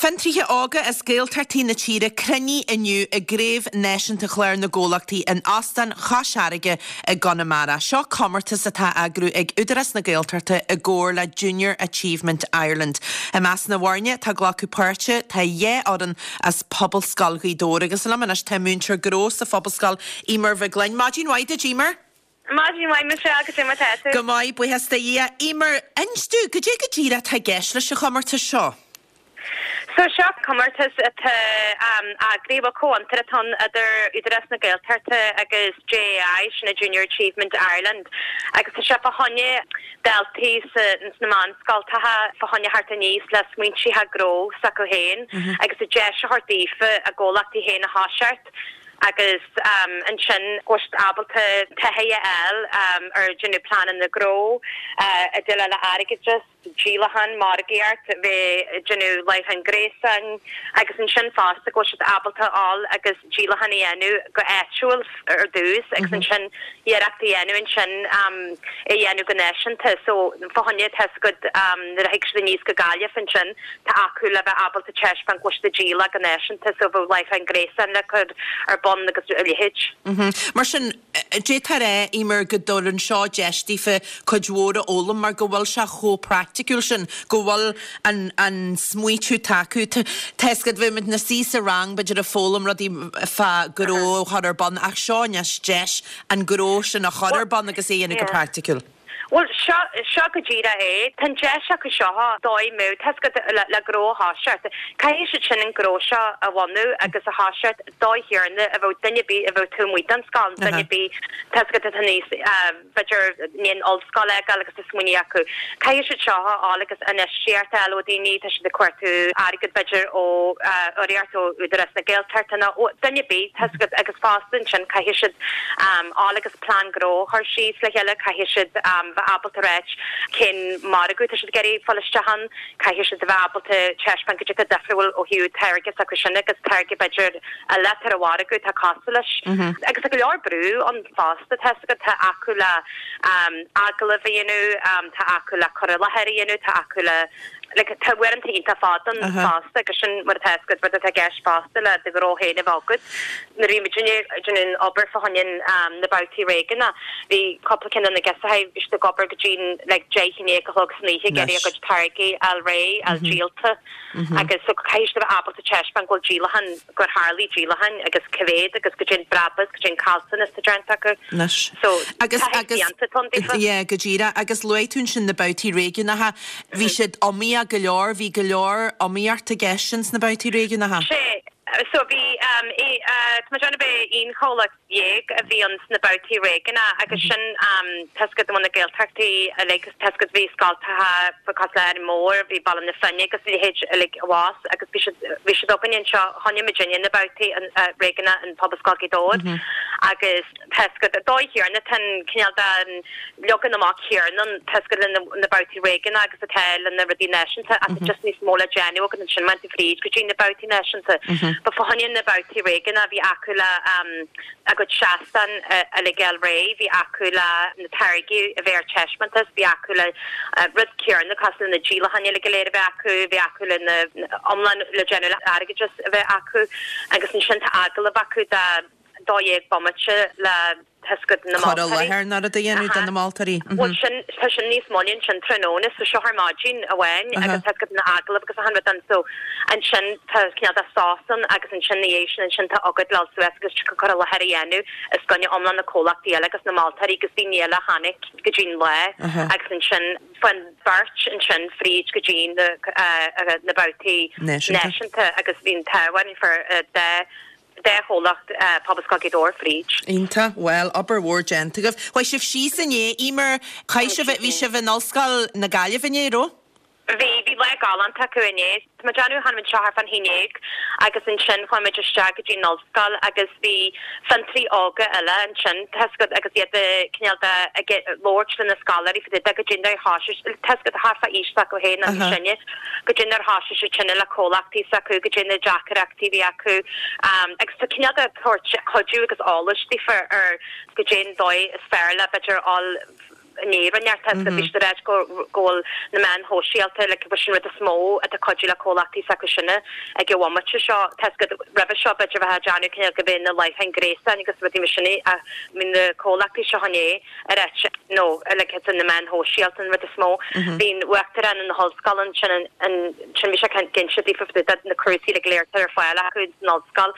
Fiontraithe óga as Gaeltachtaí na tíre cruinnithe inniu i gCraobh Náisiúnta Chlár na gComhlachtaí in Óstán Chois Fharraige i gConamara. Seo comórtas atá á eagrú ag Údarás na Gaeltachta i gcomhar le Junior Achievement Ireland. I measc na bhfoirne atá ag glacadh páirte tá 2 fhoireann as Pobalscoil Ghaoth Dobhair agus liom anois tá múinteoir gnó sa Phobalscoil, Eimear Mhic Gloinn. Maidin mhaith duit, Eimear. Maidin mhaith, Michelle, goidé mar tá tú? Go maith, buíochas do Dhia. Eimear, inis domh, goidé go díreach atá i gceist leis an chomórtas seo? So seo comórtas atá eagraithe, bhuel comhfhiontar atá ann idir Údarás na Gaeltachta agus JAI, sin é Junior Achievement Ireland, agus tá sé fá choinne daltaí sna meánscoltacha fá choinne theacht aníos le smaointithe gnó s'acu féin agus a deis a thabhairt daofa a gcomhlachtaí féin a thoiseacht. agus ansin go bhfuil siad ábalta taithí a fháil ar déanamh pleananna gnó, ag déileáil le airgeadas, díolachán, margaíocht, bheith ag déanamh láithreán gréasáin agus ansin fosta go bhfuil siad ábalta a fháil agus díolachán a dhéanamh go áitiúil ar dtús agus ansin iarracht a dhéanamh ansin é a dhéanamh go náisiúnta. So fá choinne tá 'fhios agat nuair a thig siad aníos go Gaillimh ansin tá acu le bheith ábalta taispeáint go bhfuil siad ag díol go náisiúnta so bheadh láithreán gréasáin le cur ar bun agus a leithéid. Mar sin, d'fhéadfá a rá, Eimear, go dtabharann seo deis daofa cuid mhór a fhoghlaim mar go bhfuil sé chomh praiticiúil sin, go bhfuil an an smaoitiú acu. Tá 'fhios agat, bheadh muid ina suí sa rang b'fhéidir ag foghlaim rudaí fá gnó a chur ar bun ach seo anois deis an gnó sin a chur ar bun agus é a dhéanamh go praiticiúil. Bhuel, seo, seo go díreach é. Tá an deis acu seo dóigh mbeadh, tá 'fhios agat, le, le gnó a thoiseacht. Caithfidh siad sin an gnó seo a bhunú agus a thoiseacht dóigh chéanna a bheadh duine ar bith a bheadh taobh amuigh den scoil, duine ar bith, tá 'fhios agat, atá níos, b'fhéidir, i ndiaidh an ollscoil a fhágáil agus tá smaoineamh acu. Caithfidh siad seo a fháil agus infheistíocht a fháil ó daoine, tá siad ag cuartú airgead b'fhéidir ó urraíocht ó Údarás na Gaeltachta nó ó duine ar bith, tá 'fhios agat, agus fosta ansin caithfidh siad fháil agus plean gnó a chur síos le chéile, caithfidh siad bheith ábalta ráit cén margadh atá siad ag iarraidh fáil isteach ann, caithfidh siad a bheith ábalta taispeáint goidé atá difriúil ó thaobh táirge s'acu sin agus táirge b'fhéidir eile atá ar an mhargadh atá cosúil leis. Agus tá go leor brú ann fosta, tá 'fhios agat, tá acu le agallamh a dhéanamh, tá acu le cur i láthair a dhéanamh, tá acu le like tá uaireanta iontach fada ann fosta agus sin mar atá 'fhios agat rud atá i gceist fosta le do ghnó féin a bheith agat. Nuair a bhí muidinne ag déanamh an obair fá choinne na babhtaí réigiúnacha bhí cúpla ceann de na girseachaí bhí siad ag obair go dtí like 10 i ndiaidh a chlog san oíche ag iarraidh a gcuid táirgí a fháil réidh, a fháil díolta agus so caithfidh siad a bheith ábalta taispeáint go bhfuil díolachán gur tharlaigh díolacháin agus cá mhéad agus goidé an brabús, goidé an caillteanas atá déanta acu. Anois. So, Agus, taithí agus, fiánta atá ann daofa. yeah, go díreach. Agus luaigh tú ansin na babhtaí réigiúnacha. Bhí siad iomaíoch go leor, bhí go leor iomaíocht i gceist ins na babhtaí réigiúnacha. Sea, so bhí, eh, tá mé ag déanamh b'é 11 chomhlacht a bhí ann sna babhtaí réigiúnacha agus sin tá 'fhios agat na Gaeltachtaí uilig, tá 'fhios agat bhí scoltacha cosúil le Árainn Mhór, bhí Baile na Finne agus a leithéid uilig abhus agus bhí siad, bhí siad againne anseo, choinnigh muidinne na babhtaí réigiúnacha in Pobalscoil Ghaoth Dobhair agus tá 'fhios agat dóigh chéanna, tá an cineál den leagan amach céanna ann, tá 'fhios agat le na babhtaí réigiúnacha agus atá le na rudaí náisiúnta ach tá just níos mó le déanamh agat ansin má tá tú fríd go dtí na babhtaí náisiúnta. Ba fá choinne na babhtaí réigiúnacha bhí acu le a gcuid seastán uilig a fháil réidh, bhí acu le na táirgí a bheith ar taispeántas, bhí acu le rud céanna cosúil le na díolacháin uilig go léir a bheith acu, bhí acu le na iomlán le déanamh le airgeadas a bheith acu agus ansin tá agallamh acu de 12 bomaite le tá 'fhios agat na Cur i moltóirí. láthair nó rud a dhéanamh do na moltóirí. Bhuel sin, tá sin níos moille ansin tráthnóna, so seo ar maidin amháin agus tá 'fhios agat na agallaimh agus achan rud ann so ansin tá cineál de sos ann agus ansin ina dhiaidh sin ansin tá agat le dul suas agus cur i láthair a dhéanamh os coinne iomlán na comhlachtaí eile agus na moltóirí agus daoine eile a tháinig go dtí an lá agus ansin faigheann beirt ansin fríd go dtí na na babhtaí náisiúnta agus bhí an t-ádh orainn fuair dá dá chomhlacht Pobalscoil Ghaoth Dobhair fríd. Iontach. Bhuel, obair mhór déanta agaibh. Chuaigh sibh síos inné, Eimear, chaith sibh, bhí sibh in Ollscoil na Gaillimhe inné, raibh? Bhí, bhí lá galánta acu inné. Tá mé ag déanamh, tháinig muid anseo thart fán haon dhéag agus ansin chuaigh muid isteach go dtí an ollscoil agus bhí fiontraí óga eile ansin, tá 'fhios agat, agus iad cineál de ag labhairt le na scoláirí fá dtaobh de goidé nár thoisigh, tá 'fhios agat, thart fá aois s'acu féin nó níos sine. Goidé nár thoisigh siad sin le comhlachtaí s'acu, goidé na deacaireachtaí a bhí acu agus tá cineál de tabhairt cuidiú agus eolais daofa ar goidé an dóigh is fearr le b'fhéidir fháil. I ndiaidh tá a fhios agat bhí siad ag ráit go go bhfuil na meáin shóisialta like sin an rud is mó atá cuidiú le comhlachtaí s'acu sinne ag an bhomaite seo. Tá a fhios agat roimhe seo b'fhéidir bheifeá ag déanamh cineál go mbeidh na láithreáin gréasáin agus rudaí mar sin ach bhí na comhlachtaí seo inné ag ráit no like it's na meáin shóisialta an rud is mó. Bhí an uachtarán na hollscoile ansin ansin bhí sé ag inse daofa fá dtaobh de na cúrsaí like go léir atá ar fáil acu san ollscoil.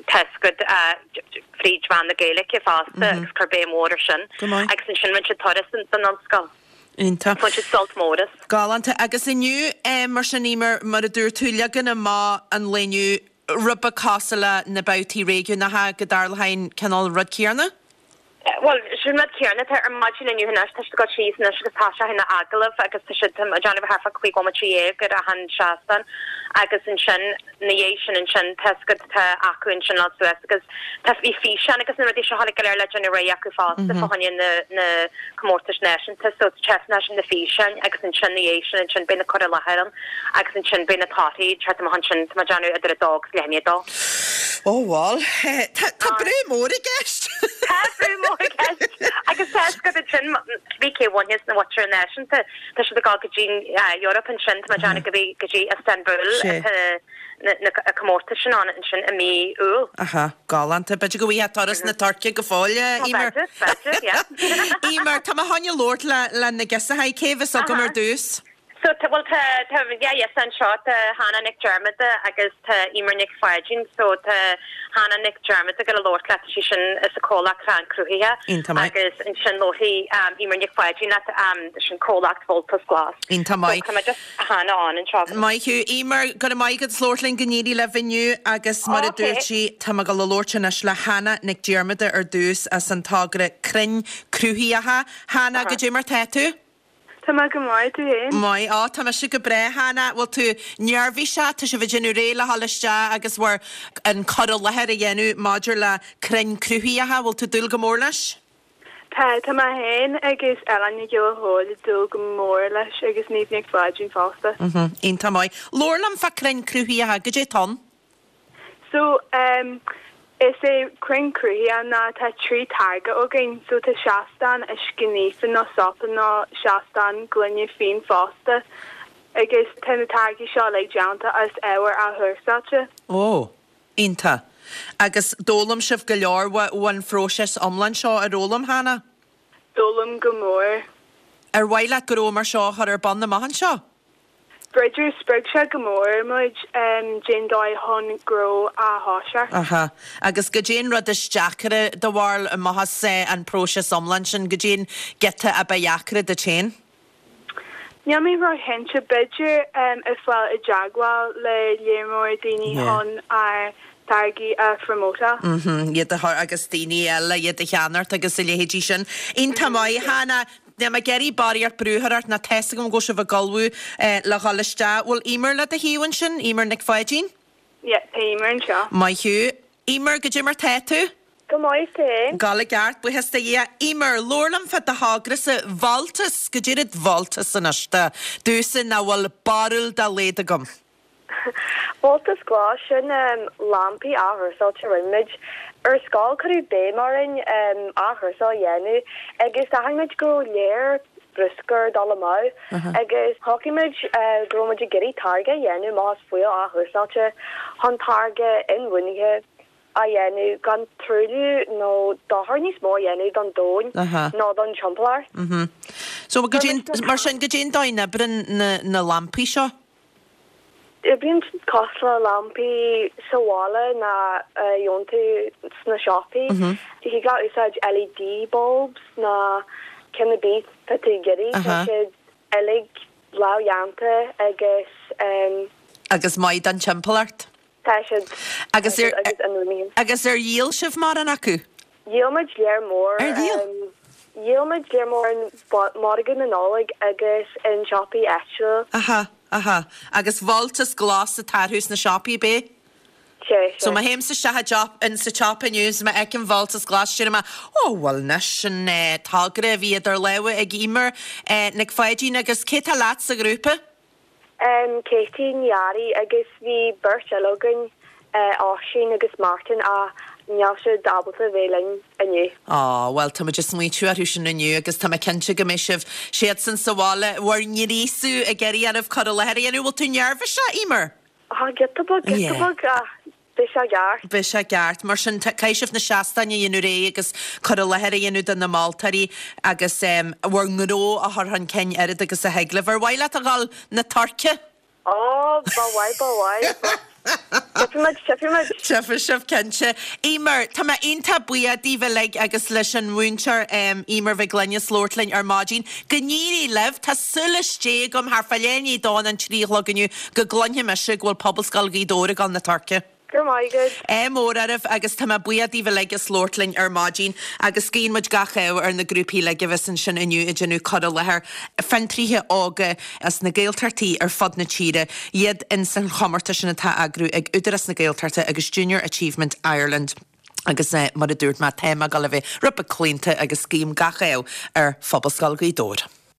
Tá a fhios agat fríd mheán na Gaeilge fosta agus chuir béim mhór ar sin. Go maith. Agus ansin rinne siad turas den ollscoil. Iontach. Bhain siad sult mór as. Galánta. Agus inniu, mar sin, Eimear, mar a dúirt tú, leagan amach an lae inniu, rud beag cosúil le na babhtaí réigiúnacha, go dtarlódh an cineál rud céanna? Bhuel, sin rud céanna atá ar maidin inniu anois, tá siad ag dul síos anois agus tá sé ina agallamh agus tá siad ag déanamh thart fá 15 bhomaite ar achan seastán agus ansin na dhiaidh sin ansin tá a fhios agat tá acu ansin dul suas agus tá bhí físeáin agus na rudaí seo uilig go léir le déanamh réidh acu fosta fá choinne na na comórtais náisiúnta so testnais na físeáin agus ansin na dhiaidh sin ansin beidh na cur i láthair ann agus ansin beidh na torthaí ag teacht amach ansin tá mé ag déanamh idir 2 agus leath i ndiaidh 2. Ó bhuel, tá tá brú mór i gceist. Tá brú mór i gceist agus tá a fhios agat ansin bhí cé bhainfeas na mhuintir náisiúnta Tá siad ag dul go dtí an Eoraip ansin, tá mé ag déanamh go go dtí Istanbul atá na comórtais sin ann ansin i mí Iúil. Aha, galánta. B'fhéidir go bhfaighfeá turas na Tuirce go fóill, a Eimear. B'fhéidir, b'fhéidir, yeah. Eimear, tá mé chun labhairt le le na girseachaí. Cé bheas agam ar dtús? So, tá, bhuel, tá, tá, yeah, yes, anseo tá Hannah Nic Diarmada agus tá Eimear Nic Pháidín. So, tá Hannah Nic Diarmada ag dul a labhairt leat, tá sí sin as an comhlacht Crann Cruthaithe. Iontach maith. Agus ansin labharfaidh Eimear Nic Pháidín leat, sin comhlacht Voltas Glas. Iontach maith. So, tá mé just Hannah ann anseo. Maith thú. Eimear, go raibh maith agat as labhairt linn, go n-éirí libh inniu agus mar a dúirt sí, tá mé ag dul a labhairt anois le Hannah Nic Diarmada ar dtús as an togra Crainn Cruthaitheacha. Hannah, goidé mar tá tú? Tá mé go maith, tú fhéin? Maith, á tá mise go breá, Hannah. Bhfuil tú neirbhíseach? Tá sibh ag déanamh réidh le dhul isteach agus bhur an cur i láthair a dhéanamh maidir le crainn cruthaitheacha. Bhfuil tú ag dúil go mór leis? Tá, tá mé fhéin agus Ellen Nic Giolla Chóill ag dúil go mór leis agus Niamh Nic Pháidín fosta. Mhm, iontach maith. Labhair liom fá crainn cruthaitheacha, goidé atá ann? So, em, is é Crainn Cruthaitheacha ná tá 3 táirge againn, so tá seastán uisce naofa nó sópa nó seastán gloine fíon fosta agus tá na táirgí seo uilig déanta as ábhar athchúrsáilte. Ó, iontach. Agus d'fhoghlaim sibh go leor ón phróiseas iomlán seo, ar fhoghlaim, Hannah? D'fhoghlaim go mór. Ar mhaith leat gnó mar seo a chur ar bun amach anseo? B'fhéidir, spreag sé go mór muid cén dóigh chun gnó a thoiseacht. Aha. Agus goidé an rud is deacaire do bharúil amach as an próiseas iomlán sin, goidé an giota a ba dheacra duit féin? Níl mé ró-chinnte, b'fhéidir ag fáil i dteagmháil le léar mór daoine chun ár dtáirgí a phromótáil. Mhm, iad a chur agus daoine eile iad a cheannacht agus a leithéidí sin. Iontach maith, Hannah. Níl mé ag iarraidh barraíocht brú a chur ort ná tá 'fhios agam go bhfuil sibh ag ullmhú le dhul isteach. Bhfuil Eimear le do thaobh ansin? Eimear Nic Pháidín? Yeah, tá Eimear anseo. Maith thú. Eimear, goidé mar tá tú? Go maith, tú fhéin? Ag gabháil i gceart, buíochas do Dhia. Eimear, labhair liom fá do thogra-sa, Voltas, goidé rud Voltas anois do, domhsa nach bhfuil barúil dá laghad agam. Voltas Glas, sin lampaí athchúrsáilte a rinne muid. Ar scoil cuireadh béim orainn athchúrsáil a dhéanamh agus d'aithin muid go raibh léar bruscair ag dul amú agus shocraigh muid go raibh muid ag iarraidh táirge a dhéanamh amach as fuíoll athchúrsáilte chun táirge inbhuanaithe a dhéanamh gan truailliú nó dochar níos mó a dhéanamh don domhan nó don timpeallacht. So, mar sin, goidé an dóigh a n-oibríonn na lampaí seo? Oibríonn siad cosúil le lampaí sa bhaile nó a gheobhann tú sna siopaí. Thig leat úsáid LED bulbs nó ceann ar bith atá tú ag iarraidh. Tá siad uilig lámhdhéanta agus. Agus maith don timpeallacht. Tá siad. Agus ar agus inbhuanaithe. Agus ar dhíol sibh mórán acu? Dhíol muid léar mór. Ar dhíol? Dhíol muid léar mór in margadh na Nollag agus in siopaí áitiúla. Aha, aha. Agus Voltas Glas atá orthu sna siopaí, ab é? Sea, So má théimse isteach i dtsiopa, in sa tsiopa inniu is má fheicim Voltas Glas déarfaidh mé, Ó, bhuel anois, sin togra a bhí idir lámha ag Eimear Nic Pháidín agus cé tá leat sa ghrúpa? Katie Ní Fhearraigh agus bhí beirt eile againn, Oisín agus Martin ach. Níl siad ábalta a bheith linn inniu. Á, bhuel, tá muid ag smaointiú orthu sin inniu agus tá mé cinnte go mbeidh sibh, siadsan sa bhaile, bhur ngríosú ag iarraidh oraibh cur i láthair a dhéanamh. Bhfuil tú neirbhíseach, Eimear? Á, giota beag, giota beag, ach beidh sé ceart. Beidh sé ceart. Mar sin, caithfidh sibh na seastáin a dhéanamh réidh agus cur i láthair a dhéanamh do na moltóirí agus bhur ngnó a chur chun cinn oiread agus a thig libh. Ar mhaith leat a dhul na Tuirce? Ó, ba mhaith, ba mhaith, but tchífidh muid, tchífidh muid. Tchífidh sibh, cinnte. Eimear, tá mé iontach buíoch daoibh uilig agus leis an mhúinteoir Eimear Mhic Gloinn as labhairt linn ar maidin. Go n-éirí libh. Tá súil istigh agam thart fá leath i ndiaidh a dó nó an 3 a chlog inniu go gcluinfidh mise go bhfuil Pobalscoil Ghaoth Dobhair ag dul na Tuirce. Go raibh maith agat. Ádh mór oraibh agus tá mé buíoch daoibh uilig as labhairt linn ar maidin agus guíonn muid gach ádh ar na grúpaí uilig a bheas ansin inniu ag déanamh cur i láthair, fiontraithe óga as na Gaeltachtaí ar fud na tíre, iad ins an chomórtas sin atá á eagrú ag Údarás na Gaeltachta agus Junior Achievement Ireland. Agus mar a dúirt mé, tá mé ag dul a bheith rud beag claonta agus guím gach ádh ar Phobalscoil Ghaoth Dobhair.